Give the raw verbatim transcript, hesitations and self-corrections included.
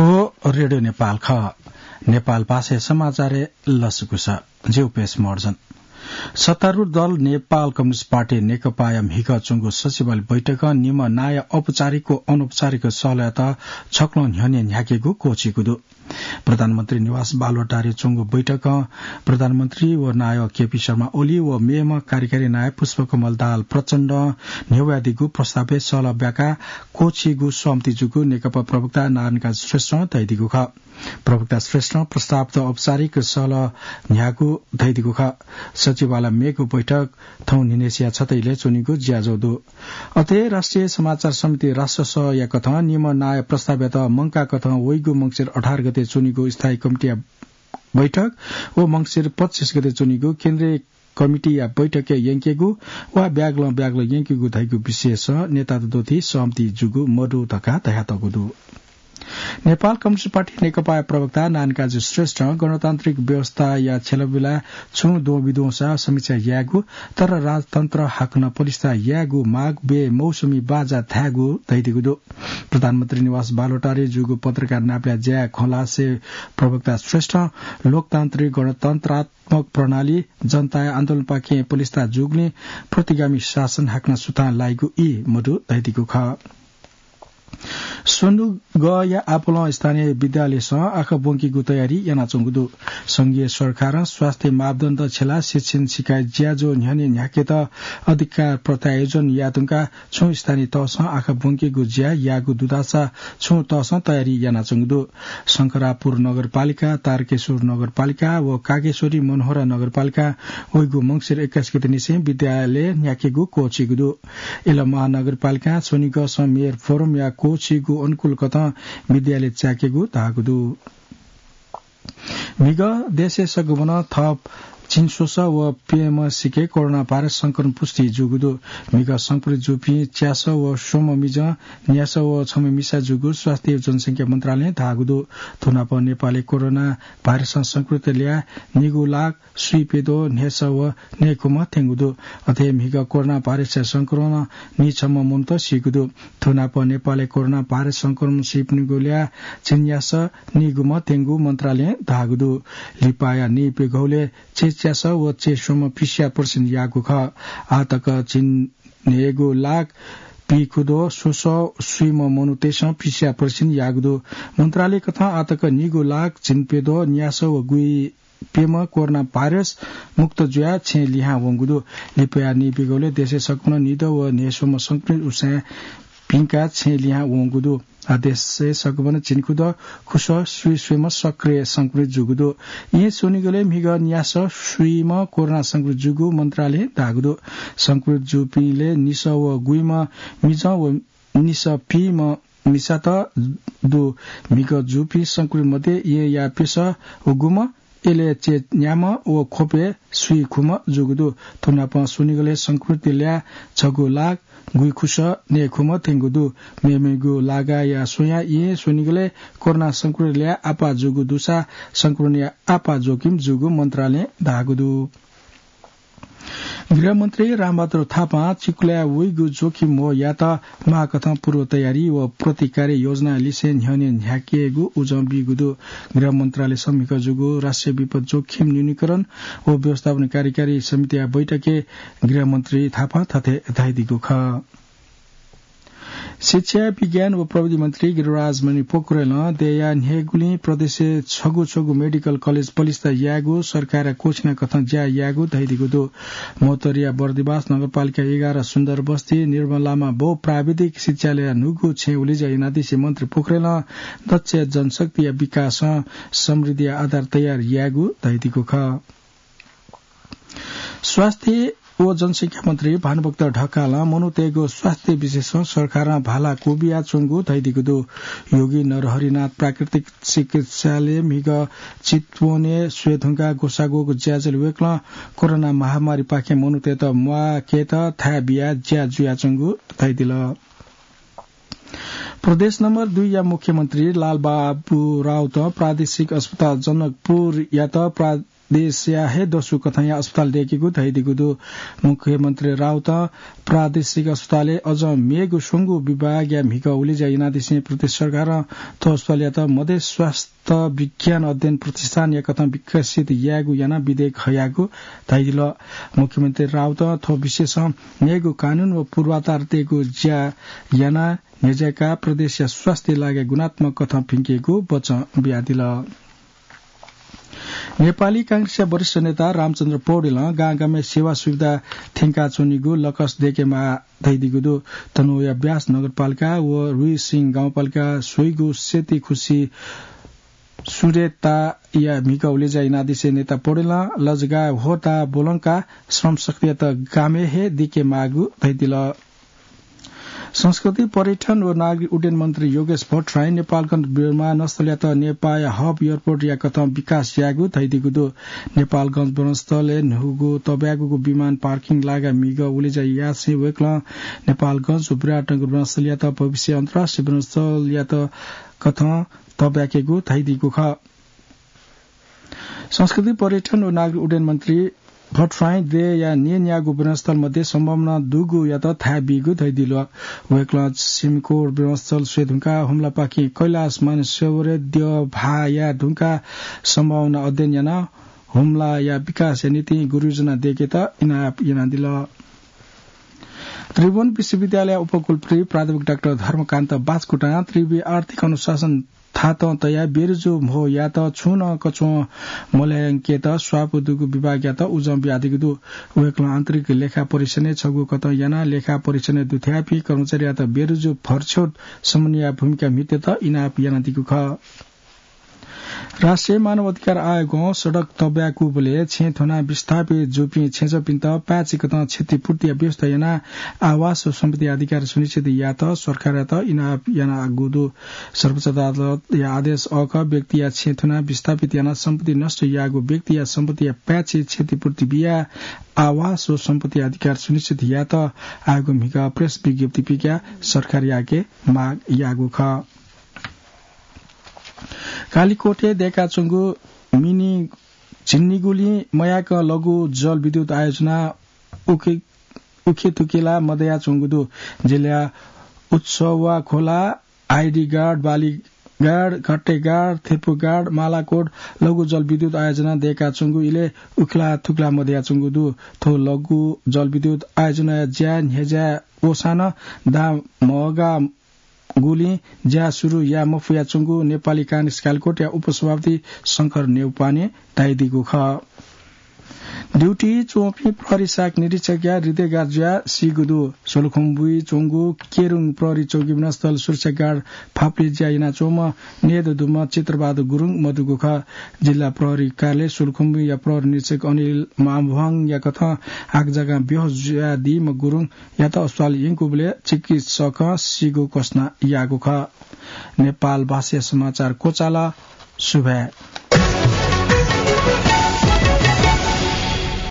ओ रेडियो नेपाल खः। नेपाल भाषाया समाचारय् लसकुस। ज्यू पेश मर्जन। सत्तारूढ दल नेपाल कम्युनिस्ट पार्टी नेकपाया म्हिगः च्वंगु सचिवालय बैठकं निम्ह नायः औपचारिक व अनौपचारिक सहलयात छक्लं न्ह्यःने न्ह्याकेगु क्वःछीगु दु। प्रधानमन्त्री निवास बालुवाटारय् च्वंगु बैठकं प्रधानमन्त्री व नायः केपी शर्मा ओली व मेम्ह कार्यकारी नायः पुष्पकमल दाहाल प्रचण्डं न्ह्यब्वयादीगु प्रस्तावय् सहलह ब्याकाः क्वःछीगु सहमति जूगु नेकपा प्रवक्ता नारायणकाजी श्रेष्ठं धयादीगु खः। प्रवक्ता श्रेष्ठं प्रस्तावत औपचारिक सहलह न्ह्याःगु धयादीगु खः। सचिवालय मेगु बैठक थौं न्हिनेसिया छतः इलय् च्वनीगु ज्याझ्वः दु। अथे राष्ट्रिय समाचार समिति राष्ट्र सभाया कथं निम्ह नायः प्रस्तावयात मंकाः कथं वइगु मंसिर अठार गते च्वनीगु स्थायी कमिटीया बैठक व मंसिर पच्चिस गते च्वनीगु केन्द्रीय कमिटीया बैठकय् यंकेगु वा ब्यागलं ब्यागलं यंकेगु धइगु विषयसं नेतात द्वथी सहमति जूगु मदु धकाः धयातःगु दु। नेपाल कम्युनिस्ट पार्टी नेकपाया प्रवक्ता नारायणकाजी श्रेष्ठं गणतान्त्रिक व्यवस्थाया छ्यलाबिला छुं द्वंबिद्वंसा समीक्षा यायेगु, तर राजतन्त्र हाकनं प्रतिष्ठा यायेगु माग बेमौसमी बाजा धायेगु धयादीगु दु। प्रधानमन्त्री निवास बालुवाटारय् जूगु पत्रकार नापलाय् ज्याय् खँ ल्हासे प्रवक्ता श्रेष्ठं लोकतान्त्रिक गणतन्त्रात्मक प्रणाली जनताया आन्दोलनपाखें प्रतिष्ठा जूगुलिं प्रतिगामी शासन हाकनं सुथां लाइगु ई मदु धयादीगु खः। स्वनिगःया आपालं स्थानीय विद्यालयसं आँखा ब्वंकेगु तयारी यानाच्वंगु दु। संघीय सरकारं स्वास्थ्य मापदण्ड छ्यलाः शिक्षण सिकाइ ज्याझ्वः न्ह्यःने न्ह्याकेत अधिकार प्रत्यायोजन यायेधुंकाः छुं स्थानीय तहसं आँखा ब्वंकेगु ज्या याःगु दुधासा छुं तहसं तयारी यानाच्वंगु दु। शंकरापुर नगरपालिका, तारकेश्वर नगरपालिका व कागेश्वरी मनोहरा नगरपालिकां वइगु मंसिर एक्काइस गते निसें विद्यालय न्ह्याकेगु क्वःछीगु दु। इलम महानगरपालिकां स्वनिगःसं मेयर फोरमया क्वःछीगु अनुकूल कथं विद्यालय च्याकेगु धाःगु दु। म्हिगः देशय् सकभनं थप झिंस्वसः व प्यम्ह सिके कोरोना भाइरस संक्रमण पुष्टि जूगु दु। म्हिगः संक्रमित जूपिं च्यासः व स्वम्ह मिजं, न्यासः व छम्ह मिसा जूगु स्वास्थ्य व जनसंख्या मन्त्रालयं धाःगु दु। थुनापं नेपालय् कोरोना भाइरसं संक्रमित ल्याः निगू लाख स्वीप्यद्वः न्हय्सः व नयेखुम्ह थ्यंगु दु। अथे म्हिगः कोरोना भाइरसया संक्रमणं नीछम्ह मनूत सीगु दु। थुनापं नेपालय् कोरोना भाइरस संक्रमणं सीपिनिगु ल्याः झिंन्यासः नीगुम्ह थ्यंगु मन्त्रालयं धाःगु दु। लिपाया नीप्यघौलय् चय्च्यासः व चय्स्वम्ह PCR परीक्षण याःगु खः। आःतक झिंन्हय्गू लाख पीखुद्वः स्वसः स्वीम्ह मनूतय्सं PCR परीक्षण याःगु दु। मन्त्रालय कथं आःतक नीगू लाख झिंप्यद्वः न्यासः व गुइप्यम्ह कोरोना भाइरस मुक्त जुयाः छेँ लिहां वंगु दु। लिपाया नीप्यघौलय् देशय् सकभनं निदँ व न्हय्स्वम्ह संक्रमित उसाँय् भिंकाः छेँ लिहां वंगु दु। आः देशय् सकभनं झिंखुद्वः खुसः स्वीस्वम्ह सक्रिय संक्रमित जूगु दु। येँ स्वनिगलय् म्हिगः न्यासः स्वीम्ह कोरोना संक्रमित जूगु मन्त्रालयं धाःगु दु। संक्रमित जूपिंलय् निसः व गुइम्ह मिजं व निसः पीम्ह मिसात दु। म्हिगः जूपिं संक्रमित मध्ये येँया प्यसः व गुम्ह, इलय् चय्न्याम्ह व ख्वपय् स्वीखुम्ह जूगु दु। थुनापं स्वनिगलय् संक्रमित ल्याः छगू लाख गुइखुसः नयेखुम्ह थ्यंगु दु। मेमेगु लागाया स्वयां येँ स्वनिगलय् कोरोना संक्रमित ल्याः आपाः जूगु दुसा संक्रमणया आपाः जोखिम जूगु मन्त्रालयं धाःगु दु। गृहमन्त्री रामबहादुर थापां चिकुलाय् वइगु जोखिम ह्वःयात माःकथं पूर्व तयारी व प्रतिकार योजना लिसें न्ह्यःने न्ह्याकेगु उजं बीगु दु। गृह मन्त्रालयसं म्हिगः जूगु राष्ट्रिय विपद जोखिम न्यूनीकरण व व्यवस्थापन कार्यकारी समितिया बैठकय् गृहमन्त्री थापां थथे धयादीगु खः। शिक्षा, विज्ञान व प्रविधि मन्त्री गिरिराज मणि पोखरेलं देय्या न्हय्गुलिं प्रदेशय् छगू छगू मेडिकल कलेज पलिस्था यायेगु सरकारया क्वःछिना कथं ज्या यायेगु धयादीगु दु। महोत्तरीया बर्दिवास नगरपालिका एघार सुन्दर बस्ती निर्मलामा बहुप्राविधिक शिक्षालयया न्हूगु छेँय् उलेज्या यानादिसें मन्त्री पोखरेलं दक्ष जनशक्तिया विकासं समृद्धिया आधार तयार यायेगु धयादीगु खः। स्वास्थ्य व जनसंख्या मन्त्री भानुभक्त ढकालं मनूतय्गु स्वास्थ्य विषयसं सरकारं भाला क्वबियाच्वंगु धयादीगु दु। योगी नरहरिनाथ प्राकृतिक चिकित्सालयय् म्हिगः चितवनय् स्वयेधुंकाः ग्वसाः ग्वःगु ज्याझ्वलय् वय्कलं कोरोना महामारीपाखें मनूतय्त म्वाकेत थाय् बियाः ज्या जुयाच्वंगु धयादिल। प्रदेश नम्बर दुईया मुख्यमन्त्री लालबाबु राउतं प्रादेशिक अस्पताल जनकपुरयात प्रा- प्रदेशया हे दसु कथंया अस्पताल दय्‌केगु धयादीगु दु। मुख्यमन्त्री राउतं प्रादेशिक अस्पतालय् अझ मेगु स्वंगू विभागया म्हिगः उलेज्या यानादिसें प्रदेश सरकारं थ्व अस्पतालयात मधेस स्वास्थ्य विज्ञान अध्ययन प्रतिष्ठानया कथं विकसित यायेगु यानाः विधेयक हयागु धयादिल। मुख्यमन्त्री राउतं थ्व विषयसं मेगु कानून व पूर्वाधार तयेगु ज्या यानाः न्ह्यज्याकाः प्रदेशया स्वास्थ्य लागाय् गुणात्मक कथं भिंकेगु वचं बियादिल। नेपाली कांग्रेसया वरिष्ठ नेता रामचन्द्र पौडेलं गांगामय् सेवा सुविधा थ्यंकाच्वनीगु लकस दय्‌केमाः धयादीगु दु। तनहुँया ब्यास नगरपालिका व रुइसिङ गाउँपालिका स्वइगु सेती खुसी सुरेताया म्हिगः उलेज्या यानादिसें नेता पौडेलं लजगाः ह्वःताः ब्वलंकाः श्रमशक्तियात गामय् हे दय्‌के माःगु धयादिल। संस्कृति, पर्यटन व नागरिक उड्डयन मन्त्री योगेश भट्टराईं नेपालगञ्ज विमानस्थलयात नेपाःया हब एयरपोर्टया कथं विकास यायेगु धयादीगु दु। नेपालगञ्ज विमानस्थलय् न्हूगु तब्यागूगु विमान पार्किङ लागाय् म्हिगः उलेज्या यासें वय्‌कलं नेपालगञ्ज व विराटनगर विमानस्थलयात भविष्य अन्तर्राष्ट्रिय विमानस्थलयात कथं तब्याकेगु धयादीगु खः। संस्कृति, पर्यटन व नागरिक उड्डयन मन्त्री भट्टराईं देय्‌या न्येन्यागू विमानस्थल मध्ये सम्भावना दुगुयात थाय् बीगु धयादिल। वय्‌कलं सिमिकोट विमानस्थल स्वये धुंकाः हुम्लापाखें कैलाश मानसरोवरय् द्यः भाः याये धुंकाः सम्भावना अध्ययन यानाः हुम्लाया विकासया निंतिं गुरुयोजना दय्‌केत इनाप यानादिल। त्रिभुवन विश्वविद्यालय उपकुलपति प्राध्यापक डाक्टर धर्मकान्त बाचकुटां त्रिवि आर्थिक अनुशासन थातं तयाः बेरुजु म्हो यायेत छुं नं कछुं मल्हायंकेत स्वापू दुगु विभागयात उजं बियादीगु दु। वय्‌कलं आन्तरिक लेखा परीक्षणय् छगू कथं यानाः लेखा परीक्षणय् दुथ्याःपिं कर्मचारीयात बेरुजु भरछ्यौट समन्वयया भूमिका म्हितेत इनाप यानादीगु खः। राष्ट्रिय मानव अधिकार आयोगं सडक तब्याकूबलय् छेँ थ्वनाः विस्थापित जूपिं छेँजःपिन्त पाय्‌छि कथं क्षतिपूर्तिया व्यवस्था यानाः आवास व सम्पत्ति अधिकार सुनिश्चित यायेत सरकारयात इनाप यानागु दु। सर्वोच्च अदालतया आदेश अःखः व्यक्तिया छेँ थ्वनाः विस्थापित यानाः सम्पत्ति नष्ट याःगु व्यक्तिया सम्पत्तिया पाय्‌छि क्षतिपूर्ति बियाः आवास व सम्पत्ति अधिकार सुनिश्चित यायेत आयोगं म्हिगः प्रेस विज्ञप्ति पिकाः सरकारयाके माग याःगु खः। कालिकोटय् दय्‌काच्वंगु मिनी झिंनिगुलिं मयाकं लघु जलविद्युत आयोजना उखे-, उखेतुखेला मदयाच्वंगु दु। जिल्लाया उत्सवा खोला, आइडीगाड, बालीगाड, घट्टेगाड, थेपुगाड, मालाकोट लघु जलविद्युत आयोजना दय्‌काच्वंगु इलय् उखेला थुखेला मदयाच्वंगु दु। थ्व लघु जलविद्युत आयोजनाया ज्या न्ह्यज्याय् वसानं दां म्हगा गुलिं ज्या सुरु याये मफयाच्वंगु नेपाली कांग्रेस कालिकोटया उपसभापति शंकर न्यौपाने धयादीगु खः। ड्युटी च्वंपिं प्रहरी शाखा निरीक्षकया हृदयघात जुयाः सीगु दु। सोलुखुम्बुइ च्वंगु केरुङ प्रहरी चौकी विमानस्थल सुरक्षा गार्ड फाप्ले ज्या यानाच्वंम्ह न्येदँ दुम्ह चित्रबहादुर गुरुङ मदुगु खः। जिल्ला प्रहरी कार्यालय सोलुखुम्बुया प्रहरी निरीक्षक अनिल मामभ्वाङया कथं हाकजकां बेहोस जुयादीम्ह गुरुङ यात अस्पताल यंकूबलय् चिकित्सकं सीगु घोषणा याःगु खः। नेपाल भाषाया समाचार क्वचाल। सुभाय्।